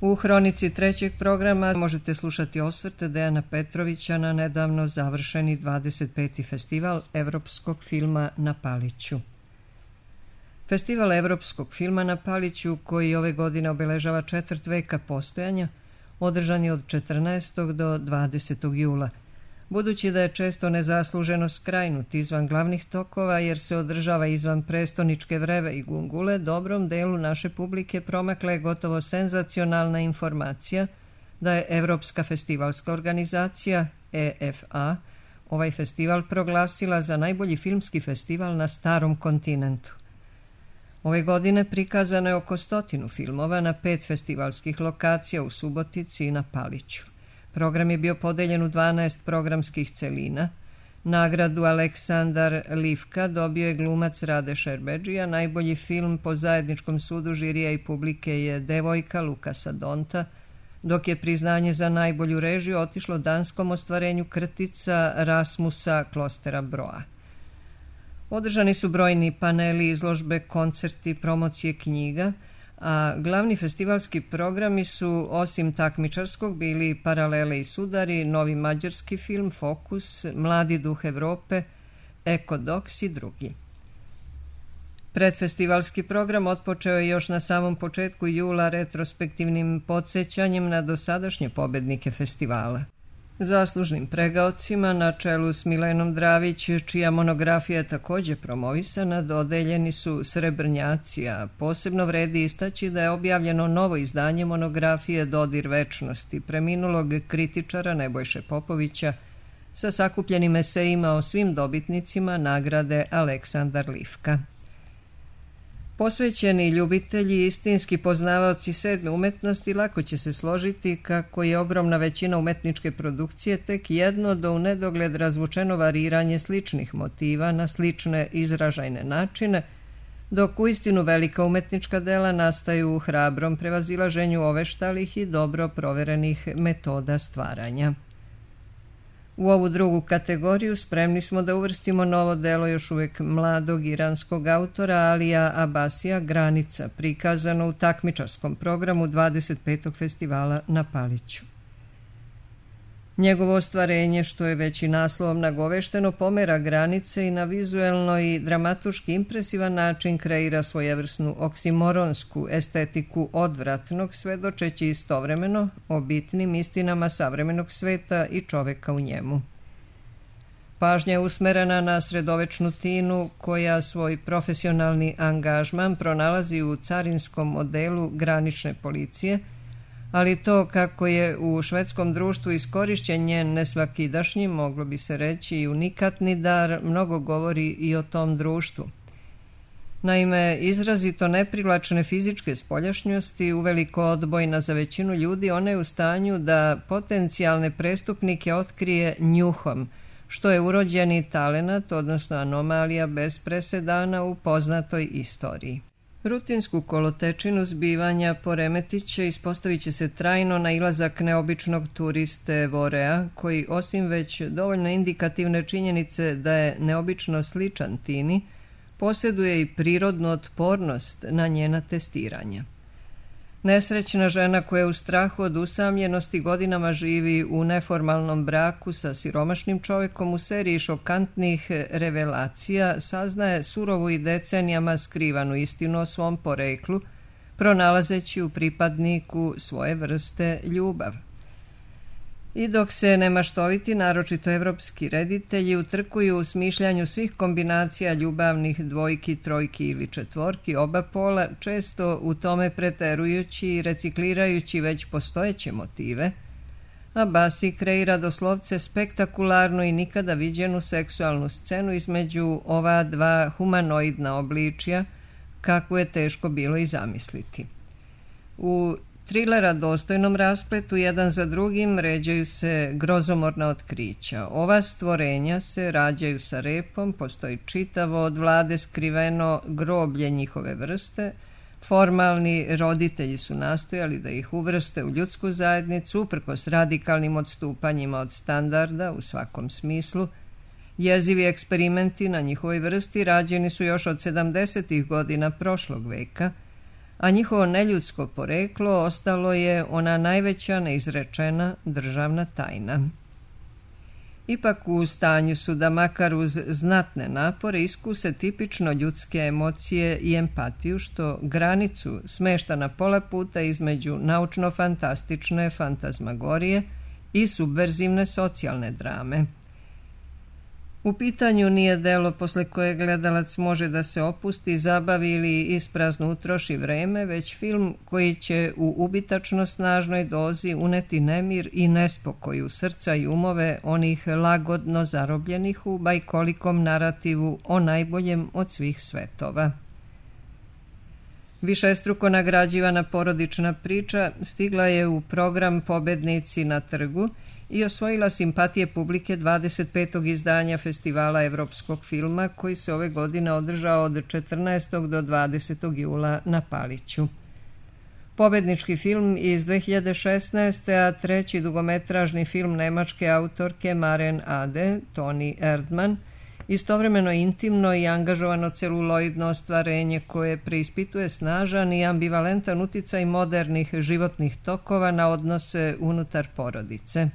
U hronici trećeg programa možete slušati osvrte Dejana Petrovića na nedavno završeni 25. festival evropskog filma na Paliću. Festival evropskog filma na Paliću, koji ove godine obeležava četvrt veka postojanja, održan je od 14. do 20. jula. Budući da je često nezasluženo skrajnut izvan glavnih tokova jer se održava izvan prestoničke vreve i gungule, dobrom delu naše publike promakla je gotovo senzacionalna informacija da je Evropska festivalska organizacija EFA ovaj festival proglasila za najbolji filmski festival na starom kontinentu. Ove godine prikazano je oko 100 filmova na 5 festivalskih lokacija u Subotici i na Paliću. Program je bio podeljen u 12 programskih celina. Nagradu Aleksandar Livka dobio je glumac Rade Šerbedžija. Najbolji film po zajedničkom sudu žirija i publike je Devojka Lukasa Donta, dok je priznanje za najbolju režiju otišlo danskom ostvarenju Krtica Rasmusa Klostera Broa. Održani su brojni paneli, izložbe, koncerti, promocije knjiga, a glavni festivalski programi su, osim takmičarskog, bili Paralele i sudari, novi mađarski film Fokus, Mladi duh Evrope, Ekodoks i drugi. Predfestivalski program otpočeo je još na samom početku jula retrospektivnim podsjećanjem na dosadašnje pobednike festivala. Zaslužnim pregaocima na čelu s Milenom Dravić, čija monografija je također promovisana, dodeljeni su srebrnjaci, a posebno vredi istaći da je objavljeno novo izdanje monografije Dodir večnosti preminulog kritičara Nebojše Popovića sa sakupljenim esejima o svim dobitnicima nagrade Aleksandar Livka. Posvećeni ljubitelji i istinski poznavaoci sedme umetnosti lako će se složiti kako je ogromna većina umetničke produkcije tek jedno do u nedogled razvučeno variranje sličnih motiva na slične izražajne načine, dok uistinu velika umetnička dela nastaju u hrabrom prevazilaženju oveštalih i dobro proverenih metoda stvaranja. U ovu drugu kategoriju spremni smo da uvrstimo novo delo još uvijek mladog iranskog autora Alija Abasija Granica, prikazano u takmičarskom programu 25. festivala na Paliću. Njegovo ostvarenje, što je već i naslovom nagovešteno, pomera granice i na vizuelno i dramaturški impresivan način kreira svojevrsnu oksimoronsku estetiku odvratnog, svedočeći istovremeno o bitnim istinama savremenog sveta i čoveka u njemu. Pažnja je usmerena na sredovečnu Tinu, koja svoj profesionalni angažman pronalazi u carinskom modelu granične policije, ali to kako je u švedskom društvu iskorišćen njen nesvakidašnji, moglo bi se reći i unikatni dar, mnogo govori i o tom društvu. Naime, izrazito neprivlačne fizičke spoljašnjosti, uveliko odbojna za većinu ljudi, ona je u stanju da potencijalne prestupnike otkrije njuhom, što je urođeni talenat, odnosno anomalija bez presedana u poznatoj istoriji. Rutinsku kolotečinu zbivanja poremetit će, ispostavit će se trajno nailazak neobičnog turiste Vorea, koji osim već dovoljno indikativne činjenice da je neobično sličan Tini, posjeduje i prirodnu otpornost na njena testiranja. Nesrećna žena koja u strahu od usamljenosti godinama živi u neformalnom braku sa siromašnim čovjekom u seriji šokantnih revelacija saznaje surovu i decenijama skrivanu istinu o svom poreklu, pronalazeći u pripadniku svoje vrste ljubav. I dok se nemaštoviti, naročito evropski reditelji, utrkuju u smišljanju svih kombinacija ljubavnih dvojki, trojki ili četvorki oba pola, često u tome preterujući i reciklirajući već postojeće motive, Abasi kreira doslovce spektakularnu i nikada viđenu seksualnu scenu između ova dva humanoidna obličja, kakvu je teško bilo i zamisliti. U trilera dostojnom raspletu jedan za drugim ređaju se grozomorna otkrića. Ova stvorenja se rađaju sa repom, postoji čitavo od vlade skriveno groblje njihove vrste. Formalni roditelji su nastojali da ih uvrste u ljudsku zajednicu, uprkos radikalnim odstupanjima od standarda u svakom smislu. Jezivi eksperimenti na njihovoj vrsti rađeni su još od 70. godina prošlog veka, a njihovo neljudsko poreklo ostalo je ona najveća neizrečena državna tajna. Ipak u stanju su da makar uz znatne napore iskuse tipično ljudske emocije i empatiju, što granicu smešta na pola puta između naučno-fantastične fantazmagorije i subverzivne socijalne drame. U pitanju nije delo posle koje gledalac može da se opusti, zabavi ili isprazno utroši vreme, već film koji će u ubitačno snažnoj dozi uneti nemir i nespokoj u srca i umove onih lagodno zarobljenih u bajkolikom narativu o najboljem od svih svetova. Višestruko nagrađivana porodična priča stigla je u program Pobednici na trgu i osvojila simpatije publike 25. izdanja Festivala evropskog filma koji se ove godine održao od 14. do 20. jula na Paliću. Pobednički film iz 2016. a treći dugometražni film nemačke autorke Maren Ade, Toni Erdmann, istovremeno intimno i angažovano celuloidno ostvarenje koje preispituje snažan i ambivalentan uticaj modernih životnih tokova na odnose unutar porodice.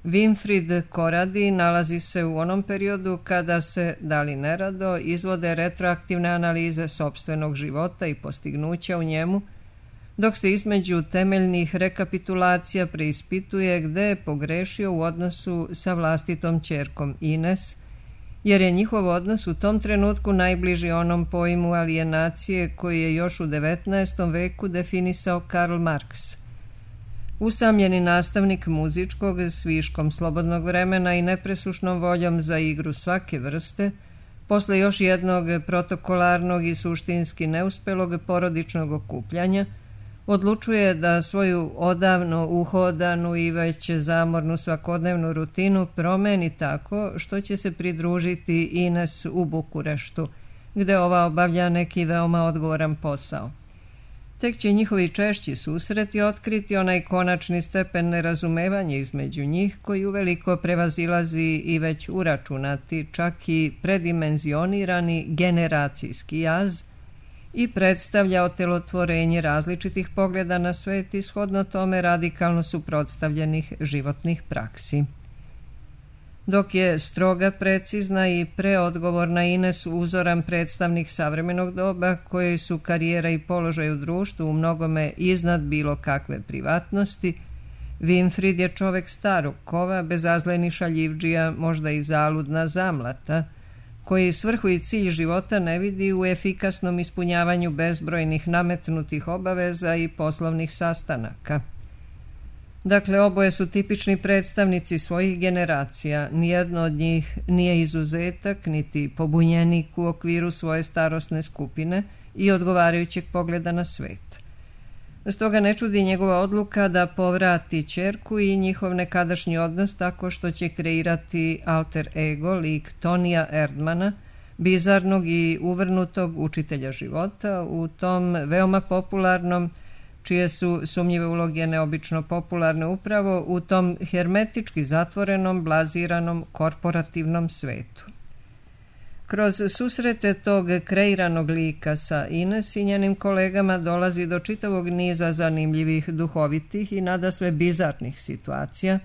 Winfried Koradi nalazi se u onom periodu kada se, da li nerado, izvode retroaktivne analize sopstvenog života i postignuća u njemu, dok se između temeljnih rekapitulacija preispituje gde je pogrešio u odnosu sa vlastitom ćerkom Ines, jer je njihov odnos u tom trenutku najbliži onom pojmu alijenacije koji je još u 19. veku definisao Karl Marx. Usamljeni nastavnik muzičkog s viškom slobodnog vremena i nepresušnom voljom za igru svake vrste, posle još jednog protokolarnog i suštinski neuspelog porodičnog okupljanja, odlučuje da svoju odavno uhodanu i već zamornu svakodnevnu rutinu promeni tako što će se pridružiti Ines u Bukureštu, gde ova obavlja neki veoma odgovoran posao. Tek će njihovi češći susreti otkriti onaj konačni stepen nerazumevanja između njih koji uveliko prevazilazi i već uračunati, čak i predimenzionirani generacijski jaz i predstavlja otelotvorenje različitih pogleda na svet i shodno tome radikalno suprotstavljenih životnih praksi. Dok je stroga, precizna i preodgovorna Ines uzoran predstavnik savremenog doba koji su karijera i položaj u društvu u mnogome iznad bilo kakve privatnosti, Winfried je čovek starog kova, bezazleni šaljivdžija, možda i zaludna zamlata, koji svrhu i cilj života ne vidi u efikasnom ispunjavanju bezbrojnih nametnutih obaveza i poslovnih sastanaka. Dakle, oboje su tipični predstavnici svojih generacija, nijedno od njih nije izuzetak, niti pobunjenik u okviru svoje starosne skupine i odgovarajućeg pogleda na svet. Stoga ne čudi njegova odluka da povrati ćerku i njihov nekadašnji odnos tako što će kreirati alter ego, lik Tonija Erdmana, bizarnog i uvrnutog učitelja života u tom veoma popularnom, čije su sumnjive uloge neobično popularne upravo u tom hermetički zatvorenom, blaziranom, korporativnom svetu. Kroz susrete tog kreiranog lika sa Ines i njenim kolegama dolazi do čitavog niza zanimljivih, duhovitih i nadasve bizarnih situacija,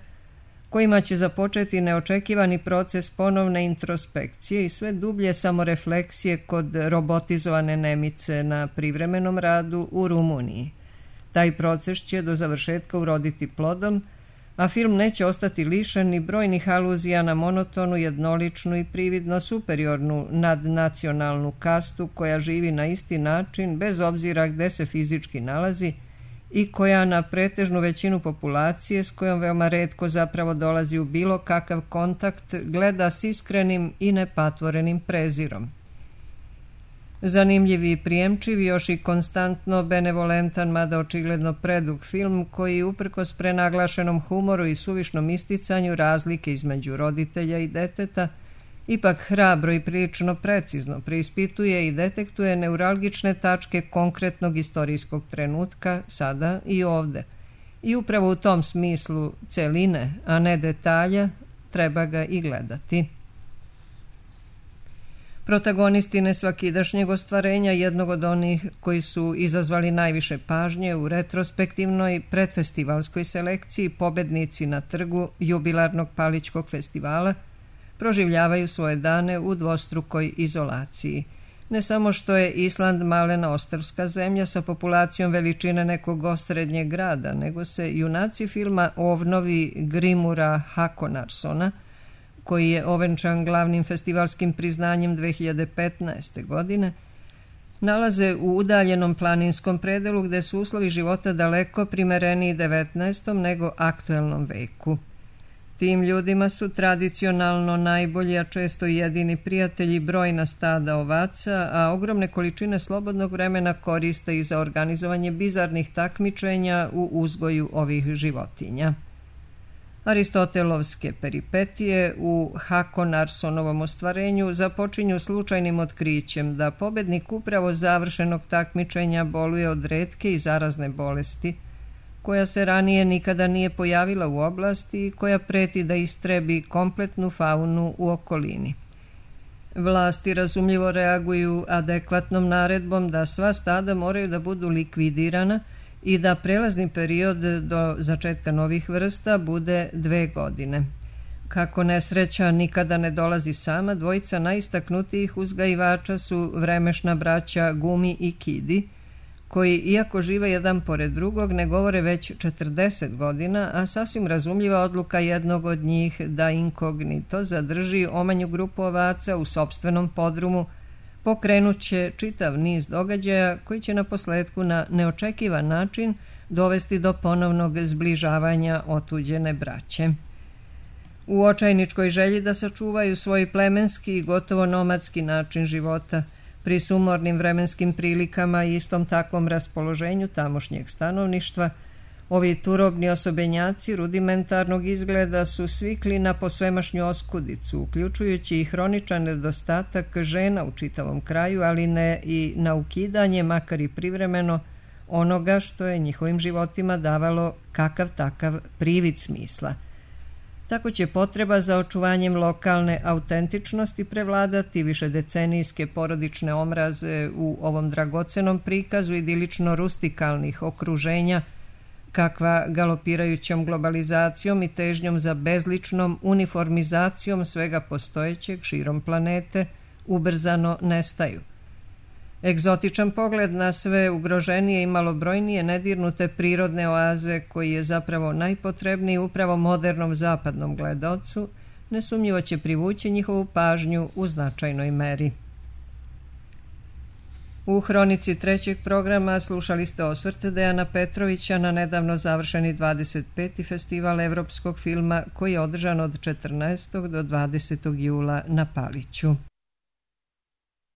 kojima će započeti neočekivani proces ponovne introspekcije i sve dublje samorefleksije kod robotizovane Nemice na privremenom radu u Rumuniji. Taj proces će do završetka uroditi plodom, a film neće ostati lišen ni brojnih aluzija na monotonu, jednoličnu i prividno superiornu nadnacionalnu kastu koja živi na isti način bez obzira gde se fizički nalazi i koja na pretežnu većinu populacije, s kojom veoma retko zapravo dolazi u bilo kakav kontakt, gleda s iskrenim i nepatvorenim prezirom. Zanimljiv i prijemčiv, još i konstantno benevolentan, mada očigledno predug film koji uprkos prenaglašenom humoru i suvišnom isticanju razlike između roditelja i deteta, ipak hrabro i prilično precizno preispituje i detektuje neuralgične tačke konkretnog istorijskog trenutka sada i ovde. I upravo u tom smislu celine, a ne detalja, treba ga i gledati. Protagonisti nesvakidašnjeg ostvarenja, jednog od onih koji su izazvali najviše pažnje u retrospektivnoj predfestivalskoj selekciji, pobednici na trgu jubilarnog Palićkog festivala, proživljavaju svoje dane u dvostrukoj izolaciji. Ne samo što je Island malena ostrvska zemlja sa populacijom veličine nekog osrednjeg grada, nego se junaci filma Ovnovi Grimura Hakonarssona, koji je ovenčan glavnim festivalskim priznanjem 2015. godine, nalaze u udaljenom planinskom predelu gde su uslovi života daleko primereniji 19. nego aktuelnom veku. Tim ljudima su tradicionalno najbolji, a često i jedini prijatelji brojna stada ovaca, a ogromne količine slobodnog vremena koriste i za organizovanje bizarnih takmičenja u uzgoju ovih životinja. Aristotelovske peripetije u Hakonarssonovom ostvarenju započinju slučajnim otkrićem da pobednik upravo završenog takmičenja boluje od retke i zarazne bolesti, koja se ranije nikada nije pojavila u oblasti i koja preti da istrebi kompletnu faunu u okolini. Vlasti razumljivo reaguju adekvatnom naredbom da sva stada moraju da budu likvidirana i da prelazni period do začetka novih vrsta bude 2 godine. Kako nesreća nikada ne dolazi sama, dvojica najistaknutijih uzgajivača su vremešna braća Gumi i Kidi, koji, iako žive jedan pored drugog, ne govore već 40 godina, a sasvim razumljiva odluka jednog od njih da inkognito zadrži omanju grupu ovaca u sopstvenom podrumu pokrenut će čitav niz događaja koji će naposletku na neočekivan način dovesti do ponovnog zbližavanja otuđene braće. U očajničkoj želji da sačuvaju svoj plemenski i gotovo nomadski način života, pri sumornim vremenskim prilikama i istom takvom raspoloženju tamošnjeg stanovništva, ovi turobni osobenjaci rudimentarnog izgleda su svikli na posvemašnju oskudicu, uključujući i hroničan nedostatak žena u čitavom kraju, ali ne i na ukidanje, makar i privremeno, onoga što je njihovim životima davalo kakav takav privid smisla. Tako će potreba za očuvanjem lokalne autentičnosti prevladati višedecenijske porodične omraze u ovom dragocenom prikazu idilično rustikalnih okruženja, kakva galopirajućom globalizacijom i težnjom za bezličnom uniformizacijom svega postojećeg širom planete ubrzano nestaju. Egzotičan pogled na sve ugroženije i malobrojnije nedirnute prirodne oaze, koji je zapravo najpotrebniji upravo modernom zapadnom gledaocu, nesumnjivo će privući njihovu pažnju u značajnoj meri. U hronici trećeg programa slušali ste osvrt Dejana Petrovića na nedavno završeni 25. festival evropskog filma koji je održan od 14. do 20. jula na Paliću.